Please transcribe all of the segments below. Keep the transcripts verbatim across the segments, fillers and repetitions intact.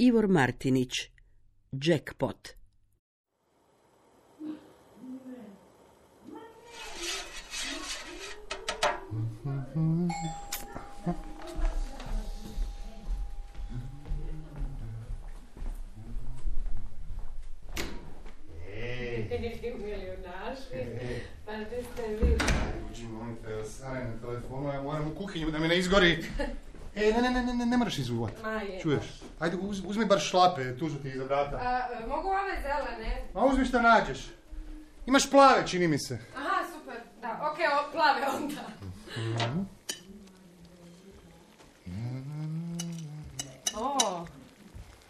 Ivor Martinić, Jackpot. Pa gdje ste vi? Uđi, molim te, stane na telefonu, ja moram u kuhinju da mi ne izgori. E, ne, ne, ne, ne, ne moraš izuvati. Čuješ? Ajde, uz, uzmi bar šlape, tu su ti iza vrata. A, mogu ove zelene? A uzmi šta nađeš. Imaš plave, čini mi se. Aha, super, da, okej, okay, plave onda. Mm-hmm. O,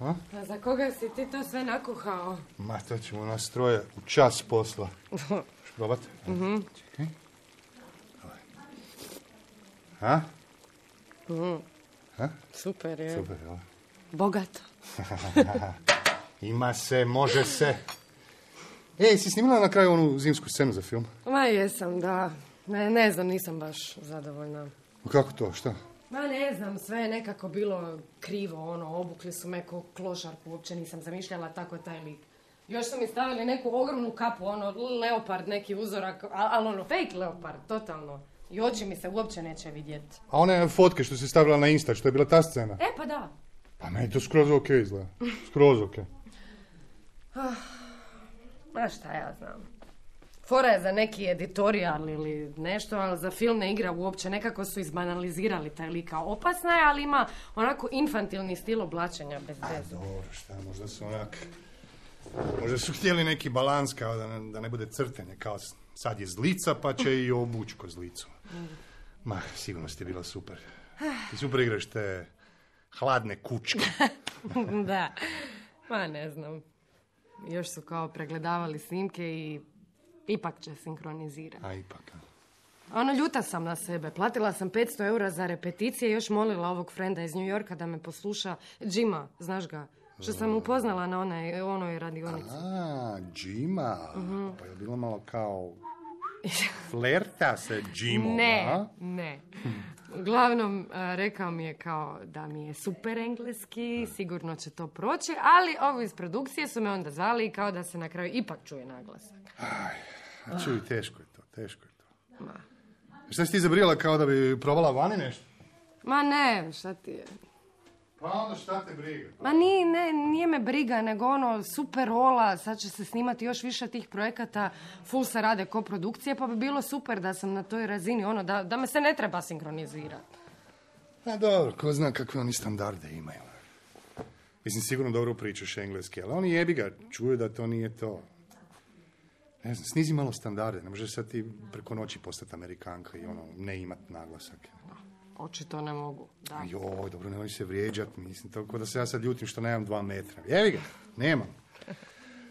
a? Pa za koga si ti to sve nakuhao? Ma, to ćemo nas troje u čas posla. Šš probat? Mhm. Čekaj. Ha? Mhm. Ha? Super je. Super, jel? Bogato. Ima se, može se. Ej, si snimila na kraju onu zimsku scenu za film? Ma jesam, da. Ne, ne znam, nisam baš zadovoljna. Kako to, šta? Ma ne znam, sve je nekako bilo krivo, ono, obukli su me ko klošarku, uopće nisam zamišljala tako taj lik. Još su mi stavili neku ogromnu kapu, ono, leopard, neki uzorak, ali ono, fake leopard, totalno. I oči mi se uopće neće vidjeti. A one fotke što si stavila na Insta, što je bila ta scena? E, pa da. Pa meni to skroz ok izgleda. Skroz ok. Ma šta ja znam. Fora je za neki editorijal ili nešto, ali za film ne igra uopće. Nekako su izbanalizirali taj lika. Opasna je, ali ima onako infantilni stil oblačenja bez veze. Dobro, šta, možda su onak... Možda su htjeli neki balans, kao da ne, da ne bude crtenje, kao sad je zlica, pa će i obući ko zlicu. Ma, sigurno ste bila super. I super igraš te hladne kučke. Da, ma ne znam. Još su kao pregledavali snimke i ipak će sinkronizirati. A ipak, a? Ono, ljuta sam na sebe. Platila sam petsto eura za repeticije i još molila ovog frenda iz New Yorka da me posluša. Jima, znaš ga? Što sam upoznala na onoj, onoj radionici. A, Jima. Uh-huh. Pa je bilo malo kao flerta se Jimom, ne, a? Ne, Uglavnom, rekao mi je kao da mi je super engleski, sigurno će to proći, ali ovo iz produkcije su me onda zvali i kao da se na kraju ipak čuje naglasak. Aj, a čuj, teško je to, teško je to. Ma. Šta si ti zabrijala, kao da bi probala vani nešto? Ma ne, šta ti je? Pa onda šta te briga? Ma nije, ne, nije me briga, nego ono, super rola, sad će se snimati još više tih projekata, full se rade koprodukcije, pa bi bilo super da sam na toj razini, ono, da, da me se ne treba sinkronizirati. A dobro, ko zna kakve oni standarde imaju. Mislim, sigurno dobro pričaš engleski, ali oni jebi ga, čuju da to nije to. Ne znam, snizi malo standarde, ne možeš sad ti preko noći postati Amerikanka i ono, ne imat naglasak. Očito ne mogu, da. Joj, dobro, nemoj se vrijeđat, mislim, tako da se ja sad ljutim što nemam dva metra. Jevi ga, nemam.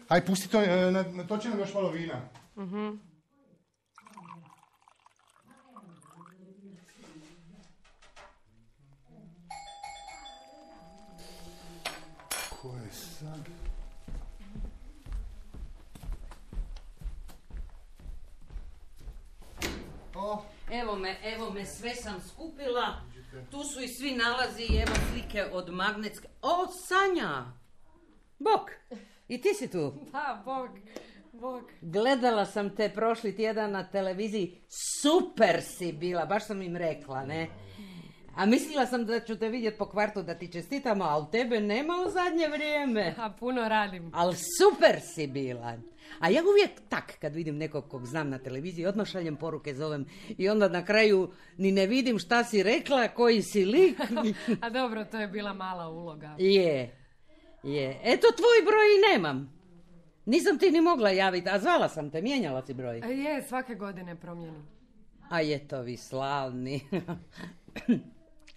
Aj, pusti to, na, na to će nam još malo vina. Mhm. Ko je sad? O. Evo me, evo me, sve sam skupila. Tu su i svi nalazi, evo slike od magnetske... O, Sanja! Bok! I ti si tu? Da, Bog, Bog. Gledala sam te prošli tjedan na televiziji. Super si bila, baš sam im rekla, ne? A mislila sam da ću te vidjeti po kvartu da ti čestitam, a u tebe nema u zadnje vrijeme. A puno radim. Ali super si bila. A ja uvijek tak, kad vidim nekog kog znam na televiziji, odmah šaljem poruke, zovem i onda na kraju ni ne vidim šta si rekla, koji si lik. A dobro, to je bila mala uloga. Je, je. Eto, tvoj broj i nemam. Nisam ti ni mogla javiti, a zvala sam te, mijenjala si broj. Je, svake godine promijenim. A je to vi slavni.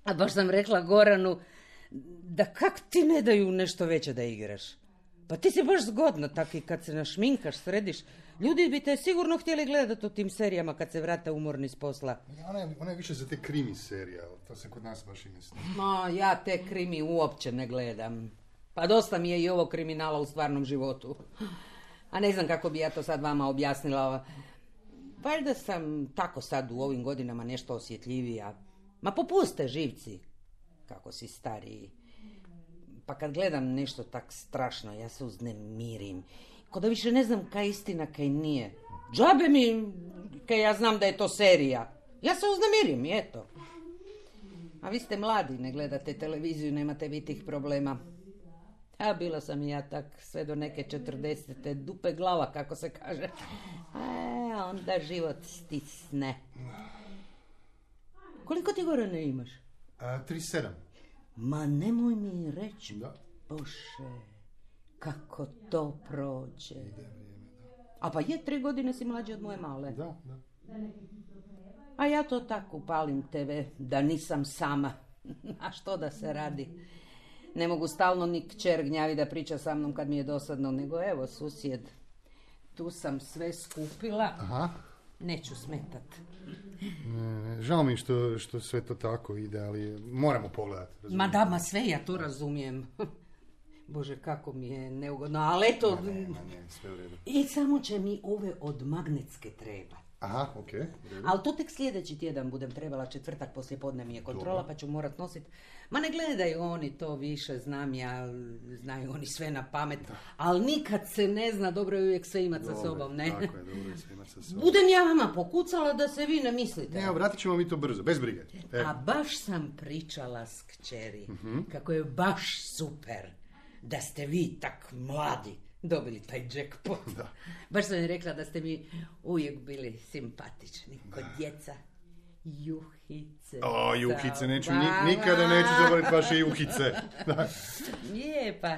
A baš sam rekla Goranu, da kak ti ne daju nešto veće da igraš? Pa ti si baš zgodna, tak i kad se našminkaš, središ. Ljudi bi te sigurno htjeli gledati u tim serijama kad se vrate umorni s posla. Ona je, ona je više za te krimi serija, to se kod nas baš i misli. Ma, ja te krimi uopće ne gledam. Pa dosta mi je i ovo kriminala u stvarnom životu. A ne znam kako bi ja to sad vama objasnila. Valjda sam tako sad u ovim godinama nešto osjetljivija. Ma popuste živci, kako si stariji. pa kad gledam nešto tak strašno, ja se uznemirim. Ko da više ne znam kaj je istina, kaj nije. Džabe mi, kaj ja znam da je to serija. Ja se uznemirim, i eto. A vi ste mladi, ne gledate televiziju, nemate vi tih problema. A bila sam i ja tak sve do neke četrdesete, dupe glava, kako se kaže. A onda život stisne. Koliko ti gore ne imaš? A, tri sedam. Ma nemoj mi reći, Da. Bože, kako to prođe. A pa je, tri godine si mlađi od moje male. Da, da. A ja to tako upalim tebe, da nisam sama. A što da se radi? Ne mogu stalno ni kćer gnjavi da priča sa mnom kad mi je dosadno, nego evo, susjed, tu sam sve skupila. Aha. Neću smetat. Ne, ne, žao mi što, što sve to tako ide, ali moramo pogledati. Ma da, ma sve ja to razumijem. Bože, kako mi je neugodno, ali eto... Ne, ne, ne, sve u redu. I samo će mi ove od magnetske treba. Aha, okej. Okay, ali to tek sljedeći tjedan budem trebala, četvrtak poslije podne mi je kontrola. Dobro. Pa ću morat nositi. Ma ne gledaju oni to više, znam ja, znaju oni sve na pamet, da. Ali nikad se ne zna, dobro je uvijek sve imat sa sobom, ne? Tako je, dobro je sve imat sa sobom. Budem ja vama pokucala da se vi ne mislite. Ne, vratit ćemo mi to brzo, bez brige. E. A baš sam pričala s kćeri, uh-huh. kako je baš super da ste vi tak mladi dobili taj jackpot. Da. Baš sam je rekla da ste mi uvijek bili simpatični kod djeca. Juhice. O, juhice, neću, ni, nikada neću zaboraviti vaše juhice. Je, pa,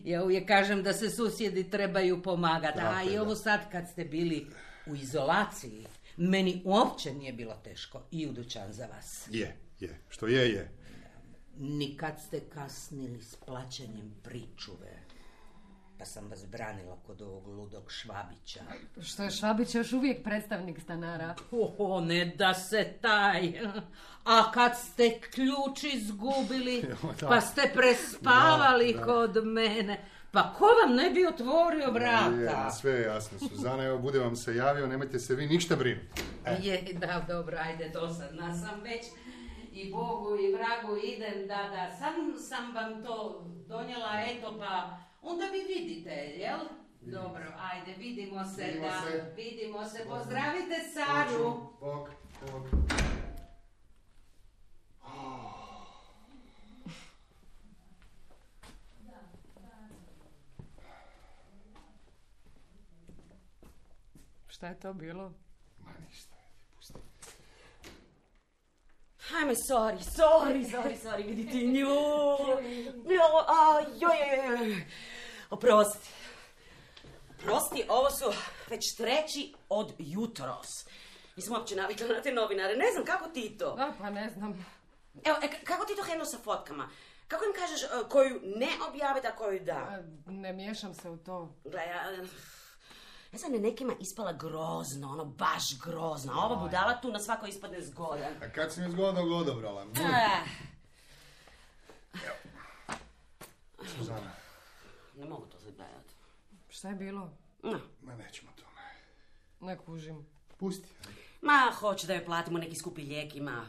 ja uvijek kažem da se susjedi trebaju pomagati. A i ovo sad kad ste bili u izolaciji, meni uopće nije bilo teško i u dućan za vas. Je, je, što je, je. Nikad ste kasnili s plaćanjem pričuve. Pa sam vas branila kod ovog ludog Švabića. Što je Švabić još uvijek predstavnik stanara? O, ne da se taj. A kad ste ključ izgubili, pa ste prespavali da, da. Kod mene, pa ko vam ne bi otvorio vrata? Je, sve je jasno, Suzana, evo, bude vam se javio, nemojte se vi ništa brinuti. E. Je, da, dobro, ajde, dosadna sam već. I Bogu i vragu idem, da, da, sam, sam vam to donijela, eto, pa onda vi vidite, jel? Dobro, ajde, vidimo se, vidimo da, se. vidimo se, pozdravite Saru. Bok, bok. Šta je to bilo? Ma ništa, pusti. Ajme, sorry, sorry, sorry, sorry, vidite nju. Jo, a, joj, joj, joj. Oprosti. Prosti, ovo su već treći od jutros. Nisam uopće navikla na te novinare, ne znam, kako ti to? Da, pa ne znam. Evo, e, kako ti to hendlo sa fotkama? Kako im kažeš uh, koju ne objaviti, a koju da? A, ne miješam se u to. Gle, ja... Ne znam, je nekima ispala grozno, ono, baš grozno. A ova budala tu na svako ispadne zgodan. A kad si mi zgodnog odobrala? Suzana. Ne mogu to se gledati. Šta je bilo? No. Ma nećemo to. Ne kužim. Pusti. Ma, hoće da joj platimo neki skupi lijek, ima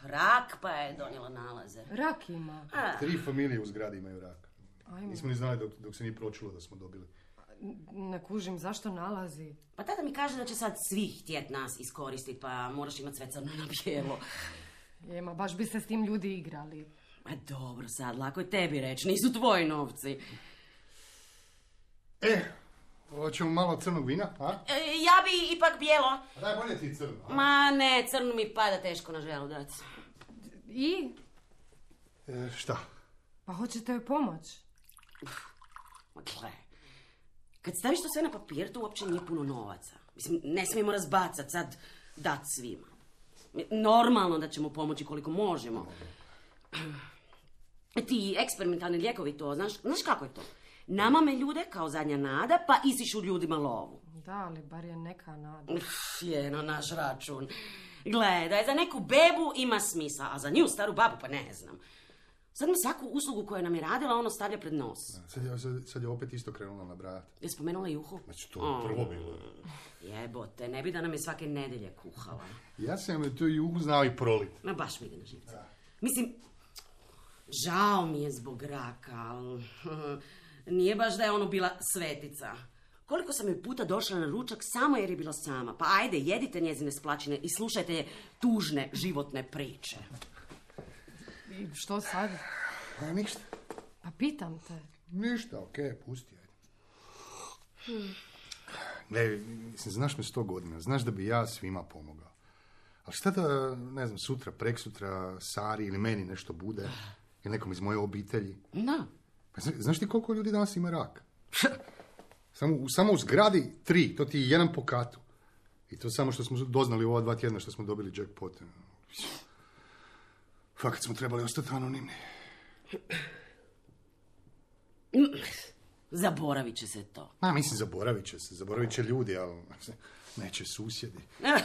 rak, pa je donijela nalaze. Rak ima? A. Tri familije u zgradi imaju rak. Ajme. Nismo ni znali dok, dok se nije pročulo da smo dobili. Ne kužim, zašto nalazi? Pa tada mi kaže da će sad svi htjet nas iskoristiti, pa moraš imati sve crno na bijelo. Jema, baš bi se s tim ljudi igrali. Ma dobro sad, lako je tebi reći, nisu tvoji novci. E, hoćemo malo crnog vina, a? E, ja bi ipak bijelo. A daj, bolje ti crno, a? Ma ne, crno mi pada teško na želudac. I? E, šta? Pa hoćete joj pomoć? Ma gle, kad staviš to sve na papir, to uopće nije puno novaca. Mislim, ne smijemo razbacati, sad dat svima. Normalno da ćemo pomoći koliko možemo. Ti eksperimentalni lijekovi to, znaš, znaš kako je to? Namame ljude kao zadnja nada, pa isišu ljudima lovu. Da, ali bar je neka nada. Uf, je na naš račun. Gledaj, za neku bebu ima smisla, a za nju staru babu pa ne znam. Sad mi svaku uslugu koju nam je radila, ono stavlja pred nos. Sad je, sad, sad je opet isto krenula nabrajati. Je spomenula juhu? Znači, to je prvo bilo. Jebote, ne bi da nam je svake nedelje kuhala. Ja sam tu juhu znao i prolit. Ma baš mi ide na živce. Mislim, Žao mi je zbog raka, ali nije baš da je ono bila svetica. Koliko sam joj puta došla na ručak samo jer je bila sama. Pa ajde, jedite njezine splačine i slušajte tužne životne priče. I što sad? Pa ništa. Pa pitam te. Ništa, okej, okay, pusti. Hmm. Gle, mislim, znaš me sto godina, znaš da bi ja svima pomogao. Ali šta da, ne znam, sutra, preksutra, Sari ili meni nešto bude, ili nekom iz moje obitelji? Da. Pa znaš ti koliko ljudi danas ima rak? Samo, samo u zgradi tri, to ti je jedan po katu. I to samo što smo doznali u ova dva tjedna što smo dobili jackpot. Fakat smo trebali ostati anonimni. Zaboravit će se to. A, mislim, zaboravit će se. Zaboravit će ljudi, ali neće susjedi.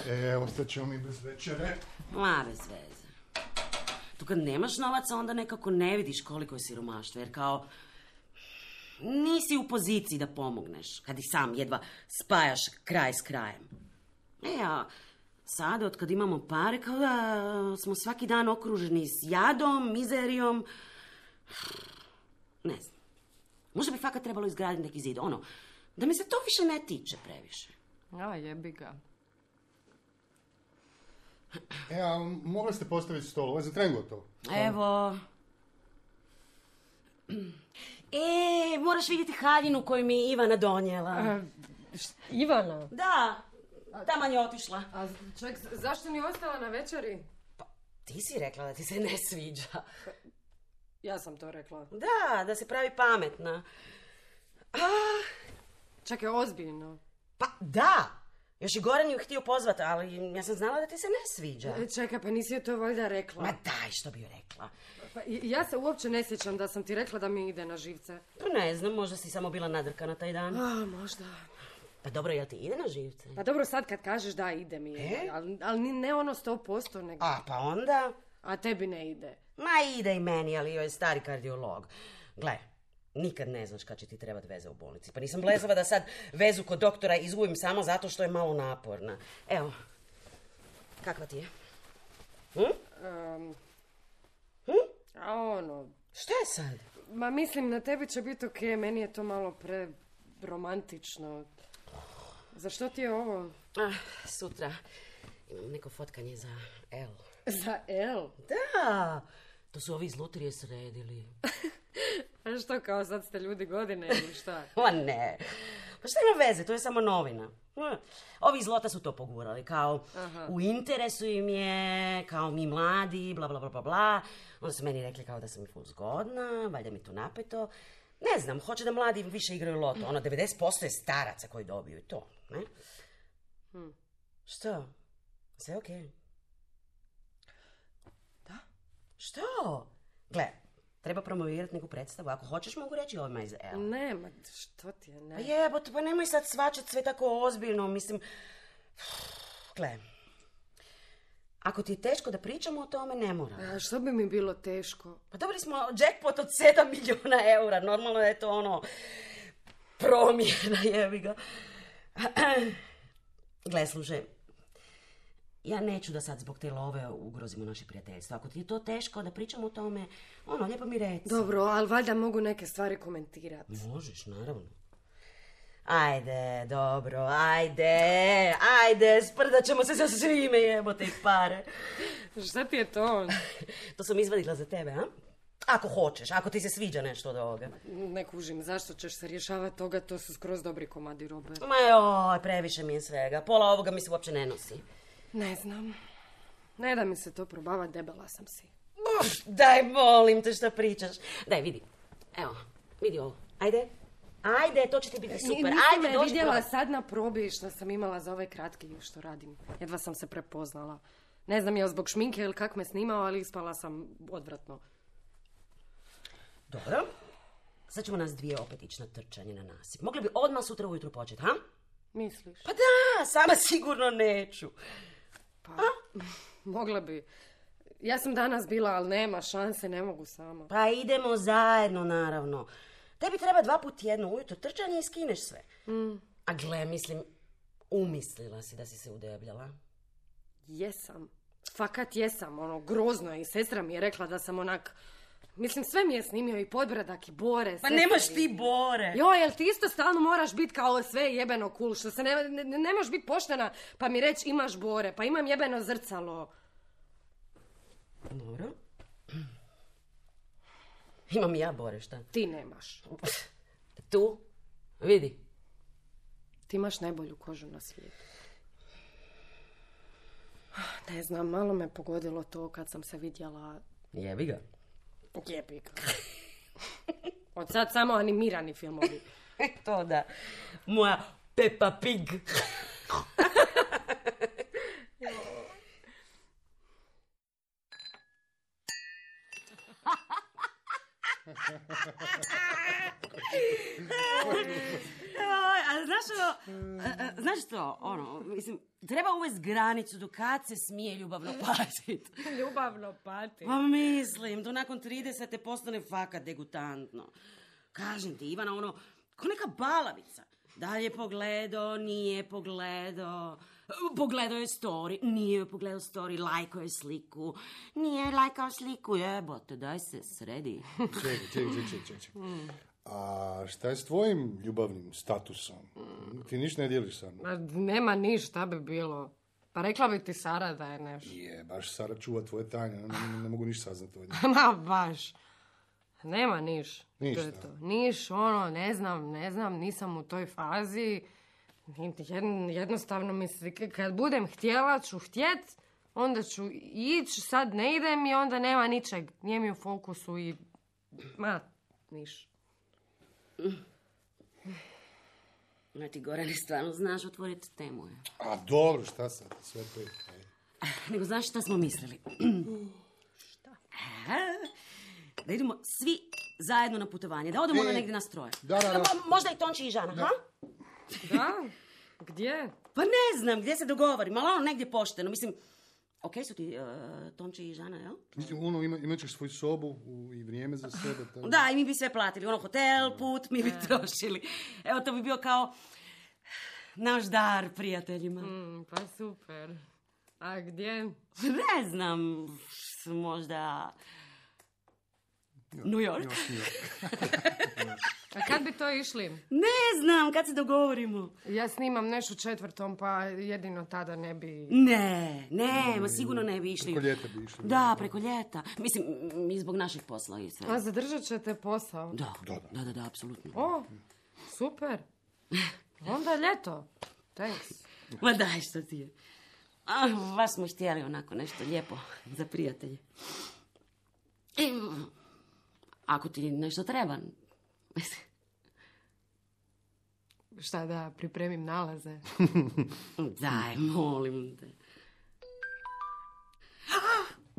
E, ostat ćemo mi bez večere. Ma, bez veze. Tu kad nemaš novaca, onda nekako ne vidiš koliko je siromaštvo, jer kao nisi u poziciji da pomogneš, kad i sam jedva spajaš kraj s krajem. E, a sad, od kad imamo pare, kao da smo svaki dan okruženi s jadom, mizerijom. Ne znam. Možda bi fakat trebalo izgraditi neki zid, ono, da mi se to više ne tiče previše. A, jebi ga. E, a mogli ste postaviti stol, ovo je za tren gotovo. Evo. E, moraš vidjeti haljinu koju mi je Ivana donijela. A, š, Ivana? Da, taman je otišla. A ček, zašto ni ostala na večeri? Pa, ti si rekla da ti se ne sviđa. Ja sam to rekla. Da, da se pravi pametna. A, Čekaj, ozbiljno. pa da, još i Goran ju htio pozvati, ali ja sam znala da ti se ne sviđa. E, čekaj, pa nisi joj to valjda rekla. Ma daj, što bi joj rekla. Pa, ja se uopće ne sjećam da sam ti rekla da mi ide na živce. Pa ne znam, možda si samo bila nadrkana taj dan. A, možda. Pa dobro, jel ti ide na živce? Pa dobro, sad kad kažeš da ide mi, E? ali, ali ni- ne ono sto posto, nego... A, pa onda... A tebi ne ide. Ma ide i meni, ali joj je stari kardiolog. Gle, nikad ne znaš kad će ti trebati veze u bolnici. Pa nisam blezava da sad vezu kod doktora izgubim samo zato što je malo naporna. Evo, kakva ti je? Hm? Um, Hm? a ono, Šta je sad? ma mislim na tebi će biti okej, meni je to malo pre romantično. Za što ti je ovo? Ah, sutra imam neko fotkanje za L. Za L? Da, to su ovi iz lutrije sredili. A što, kao sad ste ljudi godine ili šta? Ma ne, pa šta ima veze, to je samo novina. Hm. Ovi iz Lota su to pogurali, kao Aha. u interesu im je, kao mi mladi, bla bla bla bla bla. Onda su meni rekli kao da sam ful zgodna, valjda mi tu napeto. Ne znam, hoće da mladi više igraju Loto. Ono, devedeset posto je staraca koji dobiju i to, ne? Hm. Što? Sve okej? Da? Što? Gle, treba promovirati neku predstavu. Ako hoćeš, mogu reći ovima iz L. Ne, ma što ti je, ne. Pa jebote, pa nemoj sad svačat sve tako ozbiljno, mislim... Gle, ako ti je teško da pričamo o tome, ne moram. A što bi mi bilo teško? Pa dobili smo jackpot od sedam milijuna eura, normalno je to ono... promjena, jebi ga. Gle, slušaj, ja neću da sad zbog te love ugrozimo naše prijateljstvo. Ako ti je to teško da pričamo o tome, ono, lijepo mi reci. Dobro, ali valjda mogu neke stvari komentirati. Možeš, naravno. Ajde, dobro, ajde, ajde, sprdat ćemo se sa svime, jebote ih pare. Šta ti je to? To sam izvadila za tebe, a? Ako hoćeš, ako ti se sviđa nešto od ovoga. Ne kužim, zašto ćeš se rješavati toga, to su skroz dobri komadi robe. Ma joj, previše mi je svega. Pola ovoga mi se uopće ne nosi. Ne znam. Ne da mi se to probava, debela sam si. Uf, daj, molim te šta pričaš. Daj, vidi. Evo, vidi ovo. Ajde. Ajde, to će ti biti super. Nisi Ajde, me dođi vidjela probaj. sad na probi što sam imala za ovaj kratki što radim. Jedva sam se prepoznala. Ne znam je li zbog šminke ili kak me snimao, ali ispala sam odvratno. Dobro. Sad ćemo nas dvije opet ići na trčanje na nasip. Mogli bi odmah sutra ujutro početi, ha? Misliš? Pa da, sama sigurno neću. Pa, mogla bi. Ja sam danas bila, ali nema šanse, ne mogu sama. Pa idemo zajedno, naravno. Tebi treba dva put tjedno ujutro trčanje i skineš sve. Mm, A gle, mislim, umislila si da si se udebljala. jesam. Fakat jesam, ono, grozno je. I sestra mi je rekla da sam onak Mislim, sve mi je snimio i Podbradak i Bore. Pa sve nemaš sam ti vidio. Bore. Joj, jel ti isto stalno moraš biti kao sve jebeno cool, što se ne, ne, ne možeš biti poštena pa mi reći imaš Bore, pa imam jebeno zrcalo. Dobro. Imam i ja Bore, šta? Ti nemaš. Tu, vidi. Ti imaš najbolju kožu na svijetu. Ne znam, malo me pogodilo to kad sam se vidjela. Jebi ga. Jebi ga. Od sad samo animirani filmovi. To da. Moja Peppa Pig. A znaš što, a, a, znaš što, ono, mislim, treba uvesti granicu do kad se smije ljubavno patiti. Ljubavno pati. Pa mislim, to nakon tridesete postane fakat degutantno. Kažem ti, Ivana, ono, ko neka balavica. Da li je pogledao, nije pogledao, pogledao je story, nije pogledao story, lajkao je sliku, nije lajkao sliku, jebote, daj se sredi. Čekaj, čekaj, čekaj, čekaj. A šta je s tvojim ljubavnim statusom? Ti ništa ne dijeliš sa mnom? Ma, nema ništa bi bilo. Pa rekla bi ti Sara da je nešto. Je, baš Sara čuva tvoje tajne, ne, ne, ne mogu ništa saznati od nje. Ma baš. Nema niš. Ništa. To je to. Niš, ono, ne znam, ne znam, nisam u toj fazi. Jedn- Jednostavno mi se, k- kad budem htjela ću htjet, onda ću ići, sad ne idem i onda nema ničeg. Nije mi u fokusu i... Ma, niš. Ma ti, Gorane, stvarno znaš otvoriti temu, je. A dobro, šta sad, sve to je. Nego znaš šta smo mislili? Šta? Da idemo svi zajedno na putovanje, da odemo E, ono negdje nas troje. da, da, da. Pa možda i Tonči i Žana, ha? Da? Gdje? Pa ne znam, gdje se dogovorimo, ali ono negdje pošteno. Mislim, okej su ti uh, Tonči i Žana, jel? Mislim, ono, ima, imat ćeš svoju sobu u, i vrijeme za sebe. Tako. Da, i mi bi sve platili. Ono, hotel, put, mi bi trošili. Evo, to bi bio kao naš dar prijateljima. Mm, pa super. A gdje? Ne znam, možda... New York? Još nije. A kad bi to išli? Ne znam, kad se dogovorimo. Ja snimam nešto četvrtom, pa jedino tada ne bi... Ne, ne, ma sigurno ne bi išli. Preko ljeta bi išli. Da, preko ljeta. Mislim, mi zbog našeg posla i sve. A zadržat ćete posao? Da, da, da, da, apsolutno. O, super. Onda ljeto. Thanks. Ma daj, što ti je. A, baš smo htjeli onako nešto lijepo za prijatelje. I, ako ti nešto treba... Šta da pripremim nalaze? Daj, molim te.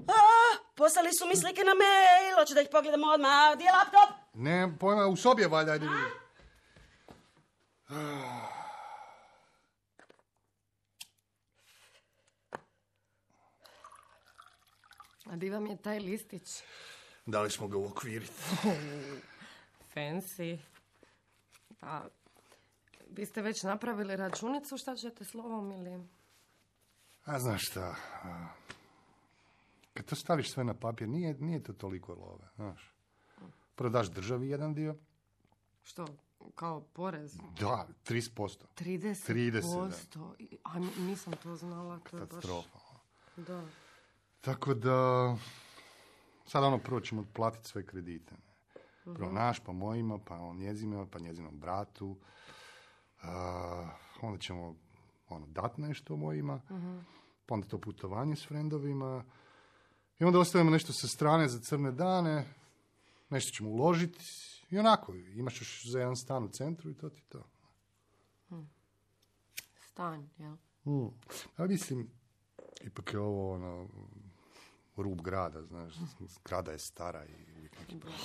A, poslali su mi slike na mail, hoću da ih pogledamo odmah. Gdje je laptop? Ne, pojma, u sobi je valjda, ajde vidi. A di vam je taj listić? Dali smo ga uokviriti. Fancy. Pa, vi ste već napravili računicu, šta ćete slovom ili... A znaš šta, a, kad to staviš sve na papir, nije, nije to toliko love, znaš. Prvo daš državi jedan dio. Što, kao porez? Da, trideset posto. trideset posto? trideset, da. A mi- nisam to znala, to je baš... Katastrofa. Da. Tako da, sad ono prvo ćemo platiti sve kredite. Ne? Prvo naš, pa mojima, pa on njezima, pa njezinom bratu. A, onda ćemo ono, dati nešto mojima, pa onda to putovanje s frendovima. I onda ostavimo nešto sa strane za crne dane, nešto ćemo uložiti. I onako, imaš još za jedan stan u centru i to ti to. Stan, jel? Mm. Ali mislim, ipak je ovo ono, rub grada, znaš, zgrada je stara i uvijek neki problem.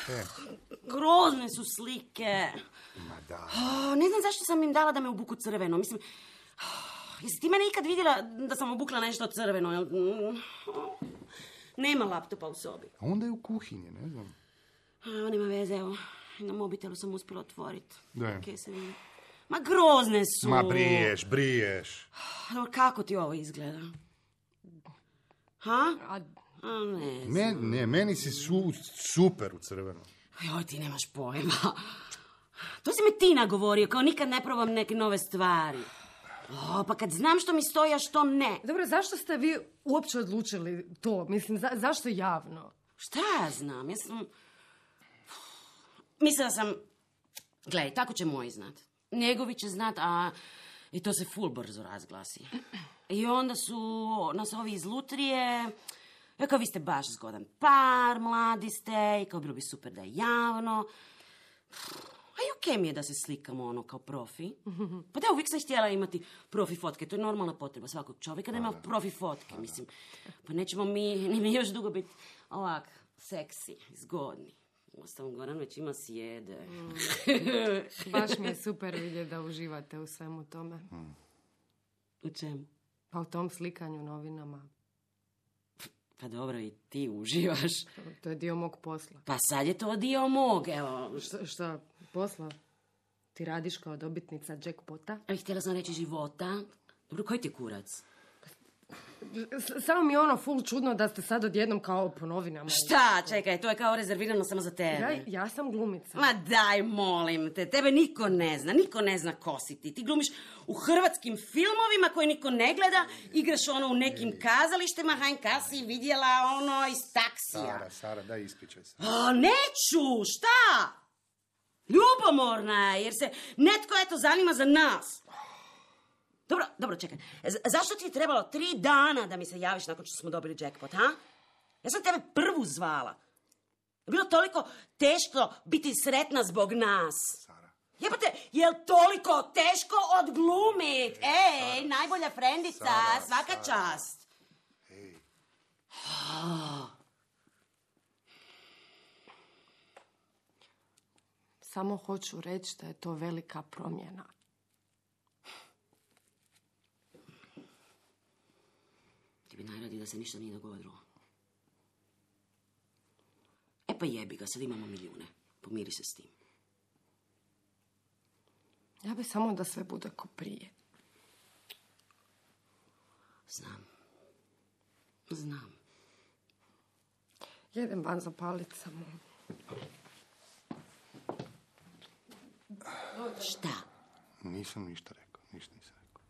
E, Grozne su slike. ma da. Oh, ne znam zašto sam im dala da me obuku crveno. Mislim, oh, jesi ti mene ikad vidjela da sam obukla nešto crveno? jel? Mm, Nema laptopa u sobi. A onda je u kuhinji, ne znam. A, nema veze, evo. Na mobitelu sam uspjela otvoriti. Da. Okej, se vidi. Ma grozne su. Ma briješ, briješ. No, kako ti ovo izgleda? Ha? A A ne znam. Me, ne, meni si su, super u crvenom. Joj, ti nemaš pojma. To si me ti nagovorio, kao nikad ne probam neke nove stvari. O, pa kad znam što mi stoji, a što ne. Dobro, zašto ste vi uopće odlučili to? Mislim, za, zašto javno? Šta ja znam? Ja sam... Mislila sam... Gledaj, tako će moj znat. Njegovi će znat, a... I to se ful brzo razglasi. I onda su nas ovi iz Lutrije... Ja kao vi ste baš zgodan par, mladi ste, i kao bilo bi super da je javno. A i okej mi je da se slikamo ono kao profi. Pa da, uvijek sam htjela imati profi fotke. To je normalna potreba svakog čovjeka da ima profi fotke. Mislim, pa nećemo mi, ni mi još dugo biti ovak seksi, zgodni. Uostalom, Goran već ima sjede. Mm. Baš mi je super vidjeti da uživate u svemu tome. U čemu? Pa u tom slikanju novinama. Pa dobro, i ti uživaš. To je dio mog posla. Pa sad je to dio mog, evo. Šta, šta posla? Ti radiš kao dobitnica jackpota? A htjela sam reći života. Dobro, koji ti je kurac? S- samo mi je ono full čudno da ste sad odjednom kao po novinama. Šta, čekaj, to je kao rezervirano samo za tebe. Ja, ja sam glumica. Ma daj, molim te, tebe niko ne zna, niko ne zna ko si ti. Ti glumiš u hrvatskim filmovima koje niko ne gleda, igraš ono u nekim kazalištima, hajnka si vidjela ono iz taksija. Sara, Sara, daj ispričaj se. O, neću, šta? Ljubomorna je, jer se netko eto zanima za nas. Dobro, dobro, čekaj. Z- zašto ti je trebalo tri dana da mi se javiš nakon što smo dobili jackpot, ha? Ja sam tebe prvu zvala. Je bilo toliko teško biti sretna zbog nas. Sara. Jebote, je li toliko teško odglumit? Ej, Sara, najbolja frendica, Sara, svaka Sara. čast. Ej. Samo hoću reći da je to velika promjena. Ti bi najradi da se ništa nije dogodilo. E pa jebi ga, sad imamo milijune. Pomiri se s tim. Ja bi samo da sve bude ko prije. Znam. Znam. Jedem van zapalit samo. Šta? Nisam ništa rekao, ništa nisam rekao.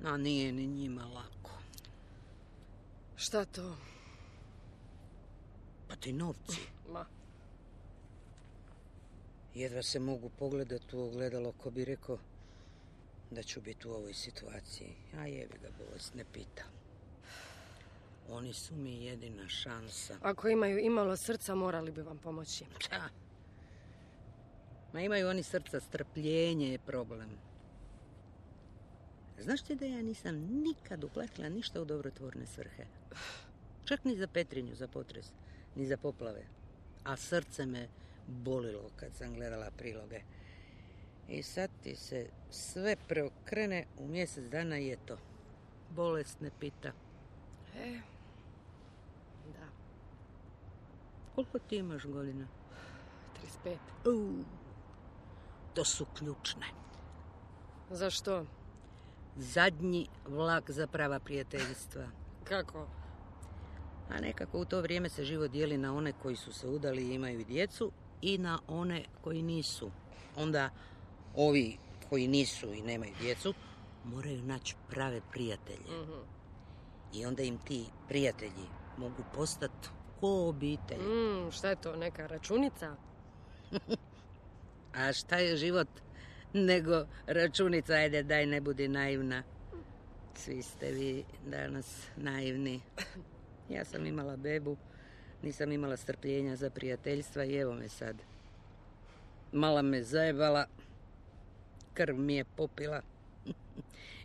A nije ni njima lako. Šta to? Pa ti novci. Ma. Jedva se mogu pogledati u ogledalo ko bi rekao da ću biti u ovoj situaciji. A jebi ga, bolest ne pita. Oni su mi jedina šansa. Ako imaju imalo srca, morali bi vam pomoći. Ča. Ma imaju oni srca, strpljenje je problem. Znaš ti da ja nisam nikad uplatila ništa u dobrotvorne svrhe? Čak ni za Petrinju, za potres, ni za poplave. A srce me bolilo kad sam gledala priloge. I sad ti se sve preokrene u mjesec dana i eto. Bolest ne pita. E, da, Koliko ti imaš godina? trideset pet. Uh, to su ključne. Zašto? Zadnji vlak za prava prijateljstva. Kako? A nekako u to vrijeme se život dijeli na one koji su se udali i imaju djecu i na one koji nisu. Onda ovi koji nisu i nemaju djecu moraju naći prave prijatelje. Mhm. I onda im ti prijatelji mogu postati ko obitelj. Mm, šta je to, neka računica? A šta je život nego računica? Ajde, daj, ne budi naivna. Svi ste vi danas naivni. Ja sam imala bebu, nisam imala strpljenja za prijateljstva i evo me sad. Mala me zajebala, krv mi je popila.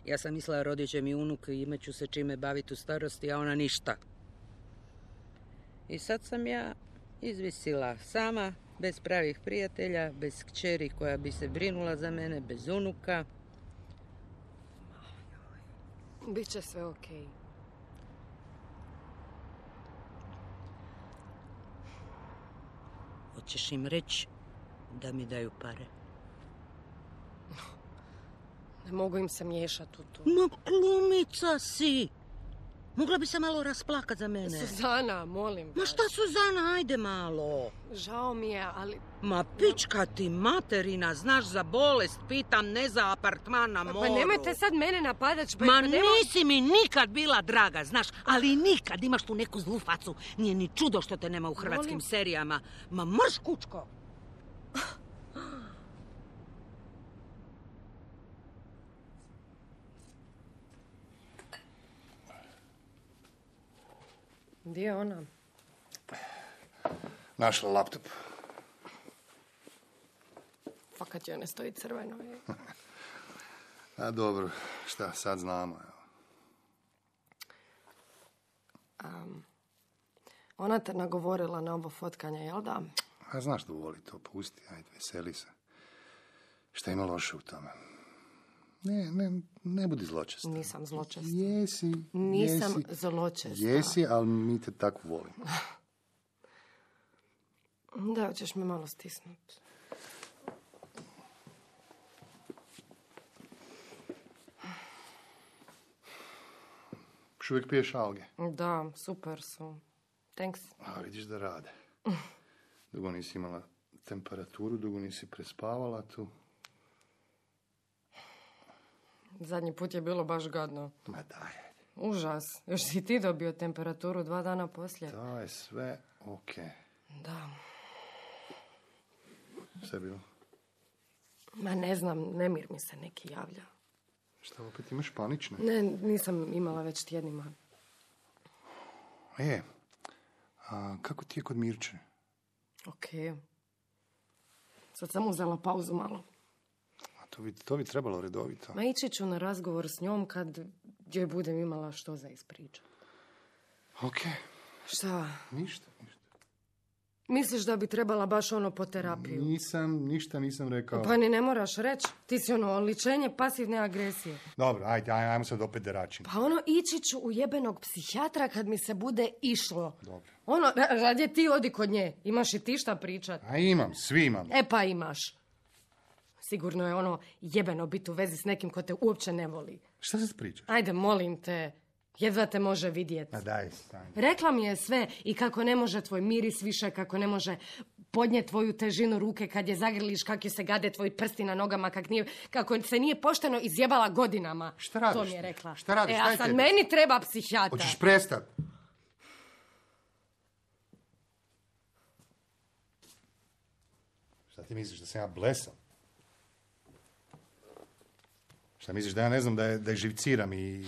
Ja sam mislila rodit će mi unuk i imat ću se čime baviti u starosti, a ona ništa. I sad sam ja izvisila sama, bez pravih prijatelja, bez kćeri koja bi se brinula za mene, bez unuka. Biće sve okej. Hoćeš im reći da mi daju pare? Ne mogu im se miješati u to. Ma glumica si! Mogla bi se malo rasplakat za mene. Suzana, molim. Ma šta Suzana, ajde malo. Žao mi je, ali... Ma pička ti materina, znaš za bolest, pitam, ne za apartman na moru. Pa nemojte sad mene napadat. Pa, Ma pa nema... nisi mi nikad bila draga, znaš, ali nikad imaš tu neku zlu facu. Nije ni čudo što te nema u hrvatskim Molim. serijama. Ma mrš kučko. Gdje je ona? Našla laptop. Fakat joj ne stoji crveno. Je. A dobro, šta, sad znamo. Evo. Um, ona te nagovorila na ovo fotkanje, jel da? A znaš da voli to, pusti, ajde, veseli se. Šta ima loše u tome? Ne, ne, ne budi zločesta. Nisam zločesta. Jesi, Nisam jesi. zločesta. Jesi, ali mi te tako volimo. Da, hoćeš me malo stisnuti. Još uvijek piješ alge. Da, super su. Thanks. A vidiš da rade. Dugo nisi imala temperaturu, dugo nisi prespavala tu. Zadnji put je bilo baš gadno. Ma daj. Užas. Još si ti dobio temperaturu dva dana poslije. To je sve okej. Da. Šta je bilo? Ma ne znam, nemir mi se neki javlja. Šta opet imaš panične? Ne, nisam imala već tjednima. E, a kako ti je kod Mirče? Okej. Sad sam uzela pauzu malo. A to bi, to bi trebalo redovito. Ma ići ću na razgovor s njom kad joj budem imala što za ispričat. Okej, Šta? ništa, ništa. Misliš da bi trebala baš ono po terapiju? Nisam, ništa nisam rekao. Pa ni ne moraš reći. Ti si ono oličenje pasivne agresije. Dobro, ajde, aj- ajmo sad opet deračin. Pa ono, ići ću u jebenog psihijatra kad mi se bude išlo. Dobro. Ono, ra- radije ti odi kod nje. Imaš i ti šta pričat. A imam, svi imam. E pa imaš. Sigurno je ono jebeno biti u vezi s nekim ko te uopće ne voli. Šta sad pričaš? Ajde, molim te. Jedva te može vidjeti. Ma daj, stani. Rekla mi je sve i kako ne može tvoj miris više, kako ne može podnijeti tvoju težinu ruke kad je zagrliš, kako se gade tvoji prsti na nogama, kak nije, kako se nije pošteno izjebala godinama. Šta radiš To mi je ti? rekla. Šta radiš? E, Šta a je sad tebi? meni treba psihijatra. Hoćeš prestat? Šta ti misliš, da sam ja blesav? Šta misliš, da ja ne znam da je, da je živciram i, i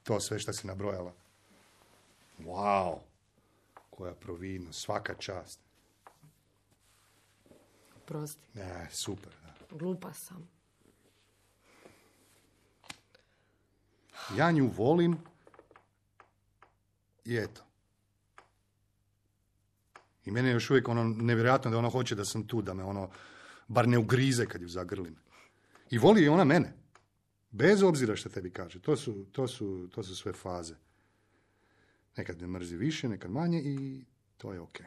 to sve što si nabrojala? Wow! Koja providnost, svaka čast. Prosti, Ne, super, da. glupa sam. Ja nju volim i eto. I meni je još uvijek ono nevjerojatno da ona hoće da sam tu, da me ono bar ne ugrize kad ju zagrlim. I voli i ona mene. Bez obzira što tebi kaže. To su, to su, to su sve faze. Nekad me mrzi više, nekad manje i to je okej.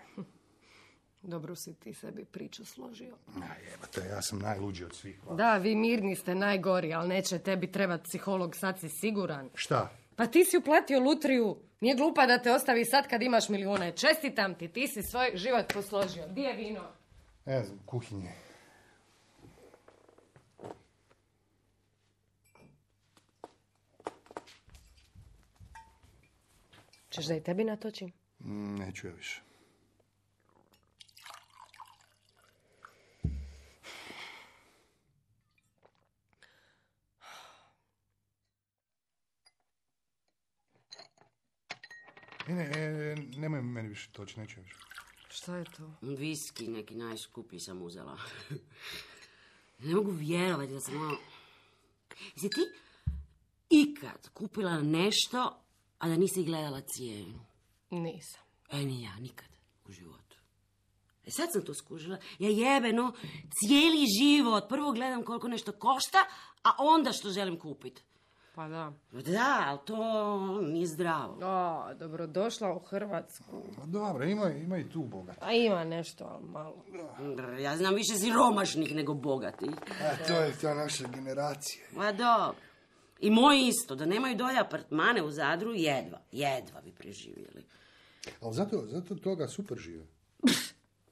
Dobro si ti sebi priču složio. A jebate, ja sam najluđi od svih vas. Da, vi mirni ste najgori, ali neće tebi trebati psiholog, sad si siguran. Šta? Pa ti si uplatio lutriju. Nije glupa da te ostavi sad kad imaš milijune. Čestitam ti, ti si svoj život posložio. Gdje je vino? Ne znam, kuhinje. Češ da i tebi natočim? Mm, neću ja više. Ne, ne, ne, nemoj meni više toći, neću ja više. Šta je to? Viski neki najskuplji sam uzela. Ne mogu vjerovati da sam ono... Jesi ti ikad kupila nešto, a da nisi gledala cijenu? Nisam. E, ni ja, nikad u životu. E sad sam to skužila. Ja jebeno cijeli život prvo gledam koliko nešto košta, a onda što želim kupiti. Pa da. Da, ali to nije zdravo. O, dobrodošla u Hrvatsku. Pa dobro, ima, ima i tu bogat. A ima nešto, ali malo. Ja znam više siromašnih nego bogatih. A to je ta naša generacija. Ma dobro. I moji isto, da nemaju dolje apartmane u Zadru, jedva, jedva bi preživjeli. Ali zato, zato toga super žive.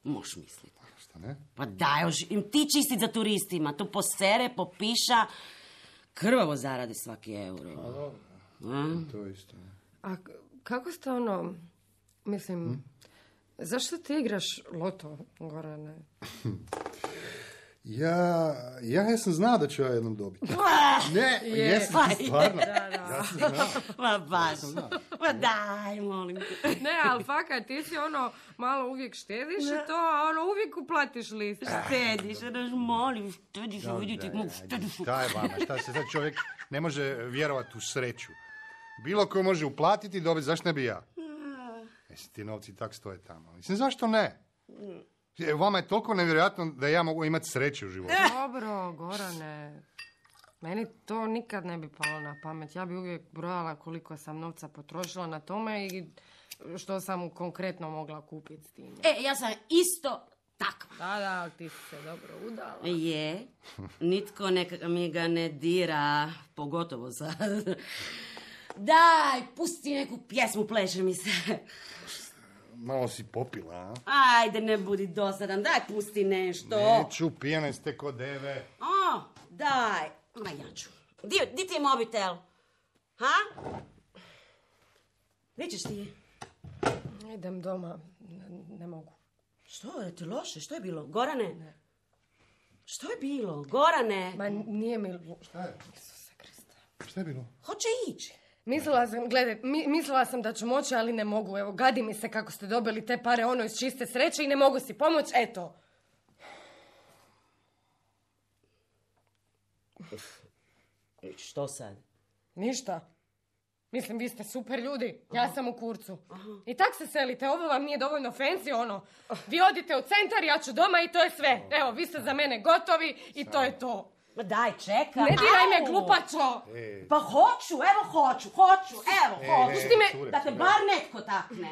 Moš misliti. Šta ne? Pa daj, još im ti čistit za turistima, to posere, popiša, krvavo zaradi svaki euro. A dobro, A? to je isto. Ne? A k- kako ste ono, mislim, hm? zašto ti igraš loto, Gorane? Ja, ja sam znao da ću ja jednom dobiti. Ne, Je. jesam ti stvarno. Da, da. Ja sam znao. Ma baš, ma daj, molim te. Ne, ali fakat, ti si ono, malo uvijek štediš i to, a ono, uvijek uplatiš list. Štediš, daš molim, štediš, vidite, Daj, mu daj, štediš. Šta je vama? Šta se sad čovjek ne može vjerovati u sreću? Bilo ko može uplatiti i dobiti, zašto ne bi ja? Jesi ti novci tak stoje tamo. Mislim, zašto ne? E, Vama je toliko nevjerojatno da ja mogu imati sreće u životu. Dobro, Gorane, meni to nikad ne bi palo na pamet. Ja bi uvijek brojala koliko sam novca potrošila na tome i što sam konkretno mogla kupiti s tim. E, ja sam isto takva. Da, da, ti si se dobro udala. Je, nitko neka mi ga ne dira, pogotovo sad. Daj, pusti neku pjesmu, pleše mi se. Malo si popila, a? Ajde, ne budi dosadan, daj, pusti nešto. Neću, pijane ste ko deve. O, daj, ma ja ću. Di, di ti je mobitel? Ha? Gdje ćeš ti? Idem doma, ne, ne mogu. Što je ti loše? Što je bilo? Gorane? Ne. Što je bilo? Gorane? Ma nije mi... Šta je? Isuse Kriste. Šta je bilo? Hoće ići. Mislila sam, gledaj, mi, mislila sam da ću moći, ali ne mogu. Evo, gadi mi se kako ste dobili te pare ono iz čiste sreće i ne mogu si pomoći, eto. Što sad? Ništa. Mislim, vi ste super ljudi. Ja sam u kurcu. I tak se selite. Ovo vam nije dovoljno fancy, ono. Vi odite u centar, ja ću doma i to je sve. Evo, vi ste za mene gotovi i to je to. Ma daj, čekaj. Ne diraj me, Au! glupačo! E, Pa hoću, evo hoću, hoću, evo E, hoću. e, Pusti me, cure, da te cure. bar netko takne.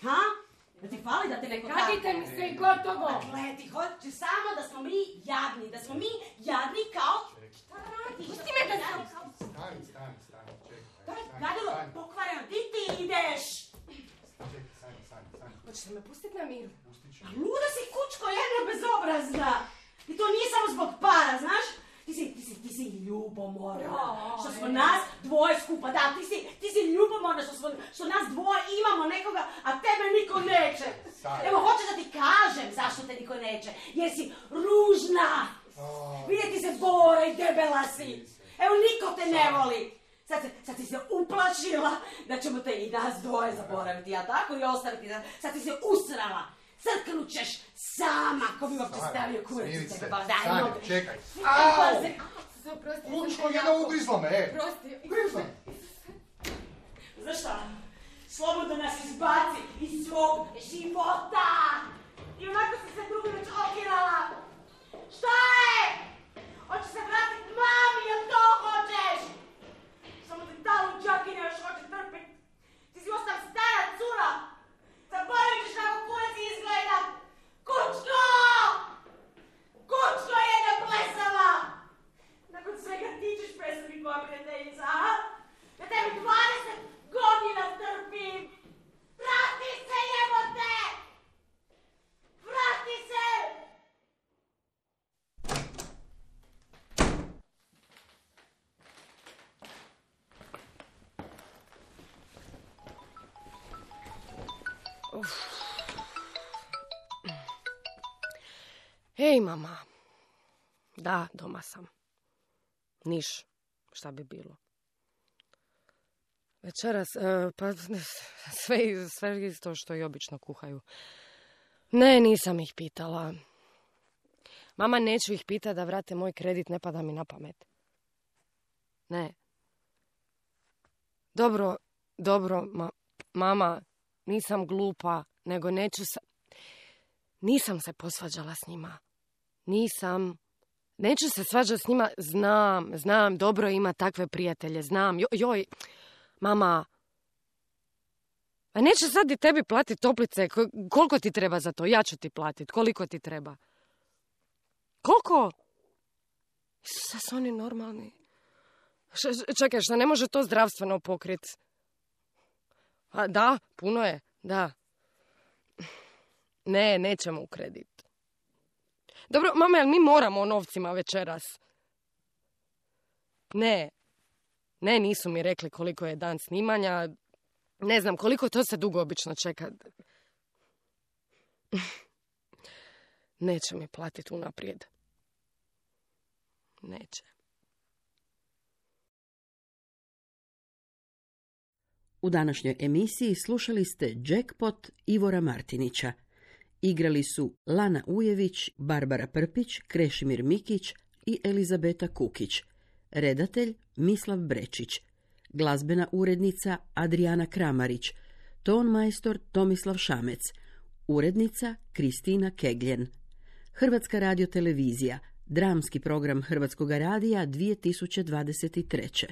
Ha? Da ti fali da te neko takne? Kadite mi se i gotovo! Gledi, hoću samo da smo mi jadni, da smo mi jadni kao... Šta radiš? Pusti me da sam... Stani, stani, stani, čekaj. Daj, stani, Gadilo, stani, pokvareno, di ti ideš? Čekaj, stani, stani, stani. Hoćete me pustiti na miru? A luda si kučko, jedna bezobrazna. I to nije samo zbog para, znaš? Ti si, ti si, ti si ljubomorna. Što smo nas dvoje skupa, da, ti si, ti si ljubomorna što, smo, što nas dvoje imamo nekoga, a tebe niko neće. Evo, hoćeš da ti kažem zašto te niko neće. Jer si ružna. Vidjeti se bora i debela si. Evo, niko te ne voli. Sad, se, sad si se uplašila da ćemo te i nas dvoje zaboraviti, ja tako, i ostaviti. Sad si se usrala. Crknut ćeš sama, ko bi uopće stavio kurac u tebe. Pa daj, Stani, noge. čekaj. Pazi. Oprosti, Lučko, jedna ugrizla me, e. Prosti. Ugrizla. Znaš šta? Slobodno nas izbaci iz svog života. I onako si se drugi već okirala. Šta je? Hoćeš se vratiti mami, jel to hoćeš? Samo te ta luđakinja još hoće trpiti. Ti si ostala stara cura. Zaboravit ćeš kako kurac izgleda. Kučko! Kučko jedna plesava! Nakon svega ti ćeš prestati koja prijateljica, a? Ja tebi dvadeset godina trpim! Vrati se, jebote! Vrati se! Hej, mama. Da, doma sam. Niš, šta bi bilo. Večeras, e, pa sve, sve isto što i obično kuhaju. Ne, nisam ih pitala. Mama, neću ih pitati da vrate moj kredit, ne pada mi na pamet. Ne. Dobro, dobro, ma, mama, nisam glupa, nego neću sa... Nisam se posvađala s njima. Nisam. Neću se svađati s njima, znam, znam, dobro ima takve prijatelje, znam. Jo, joj, mama, a neće sad i tebi platiti toplice, koliko ti treba za to? Ja ću ti platiti, koliko ti treba? Koliko? Sad su oni normalni. Š, čekaj, šta ne može to zdravstveno pokriti? A da, puno je, da. Ne, nećemo u kredit. Dobro, mama, jel mi moramo o novcima večeras? Ne. Ne, nisu mi rekli koliko je dan snimanja. Ne znam, koliko to se dugo obično čeka. Neće mi platiti unaprijed. Neće. U današnjoj emisiji slušali ste Jackpot Ivora Martinića. Igrali su Lana Ujević, Barbara Prpić, Krešimir Mikić i Elizabeta Kukić. Redatelj Mislav Brečić. Glazbena urednica Adriana Kramarić. Ton majstor Tomislav Šamec. Urednica Kristina Kegljen. Hrvatska radiotelevizija. Dramski program Hrvatskoga radija dvije tisuće dvadeset treće.